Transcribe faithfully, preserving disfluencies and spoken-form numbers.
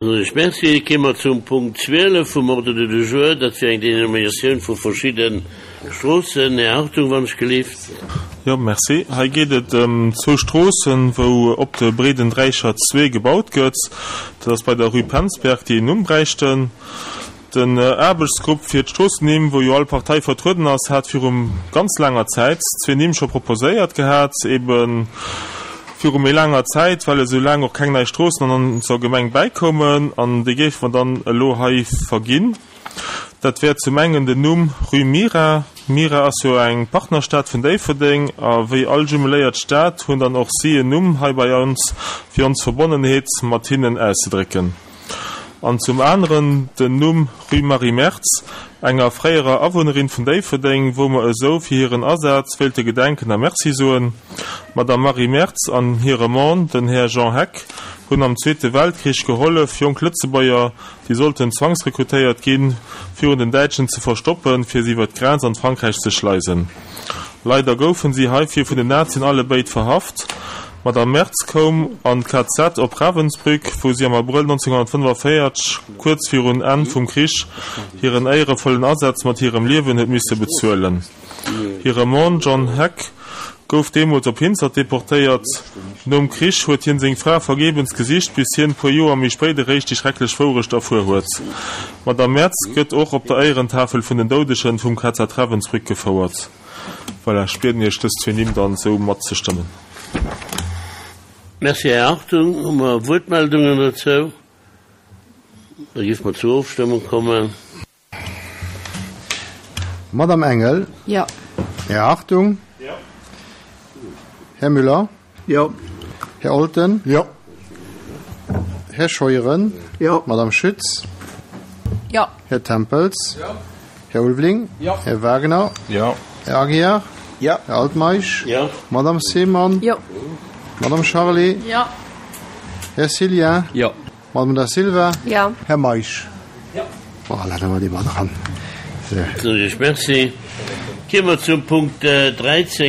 Soen ech Merci. Kéime mer zum Punkt zwielef vum Ordre du jour. Dat wier eng Dénominatioun vu verschidde Stroossen. Här Hartung, wann ech gelift. Jo, merci. Hei geet et ëm zwou Stroossen, wou op de Breeden Dräichert zwee gebaut gëtt. Dat ass bei der Rue Penzberg, déi en Numm bräichten. Den Aarbechtsgrupp fir d'Stroossennimm, wou jo all Partei vertrueden ass, hat viru ganz laanger Zäit zwee Nimm scho proposéiert gehat, ebe viru méi laanger Zäit, well esou laang och keng nei Stroossen an onser Gemeng bäikoumen, an déi géife mer dann elo hei verginn. Dat wär zum engen den Numm Rue Mira. Mira ass jo eng Partnerstad vun Déifferdeng, a wéi all jumeléiert Stad hunn dann och si en Numm hei bei ons, fir ons Verbonnenheet mat hinnen auszedrécken. An zum aneren den Numm Rue Marie Mertz, enger fréierer Awunnerin vun Déifferdeng, wou mer esou fir hiren Asaz wéilte gedenken a Merci soen. D'Madame Marie Mertz an hire Mann, den Här Jean Heck, hunn am Zweete Weltkrich gehollef, jonk Lëtzebuerger, déi sollten zwangsrekrutéiert ginn, virun den Däitschen ze verstoppen, fir se iwwer d'Grenz an d'Frankräich ze schleisen. Leider goufen si heifir vun den Nazien allebéid verhaft. D'Madame Mertz koum an d'K Z op Ravensbrück, wou si am Abrëll nonzénghonnertfënnefenvéierzeg, kuerz virun Enn vum Krich, hiren éierevollen Asaz mat hirem Liewen huet misse bezuelen. Hire Mann John Heck gouf deemools op Hinzert deportéiert. Nom Krich huet hien seng Fra vergebens gesicht, bis hien puer Joer méi spéit eréischt déi schrecklech Wourecht erfuer huet. D'Madame Mertz gëtt och op der Éierentafel vun den Doudegen vum K Z Ravensbrück gefouert. Voilà, ech bieden Iech dës zwee Nimm dann esou matzestëmmen. Merci, Här Hartung. Hu mer Wuertmeldungen dozou? Da géife mer zur Ofstëmmung kommen. Madame Engel. Jo. Här Hartung. Jo. Här Müller. Jo. Här Olten. Jo. Här Scheuren. Jo. Madame Schütz. Jo. Här Tempels. Jo. Här Ulveling. Jo. Här Wagner. Jo. Här Aguiar. Jo. Här Altmeisch. Jo. Madame Seemann. Jo. Madame Charlé. Jo. Här Cillien. Jo. Madame Da Silva. Jo. Här Meisch. Jo. Voilà, da hu mer déi mat dran. Soen ech Merci. Kéime mer zum Punkt dräizéng.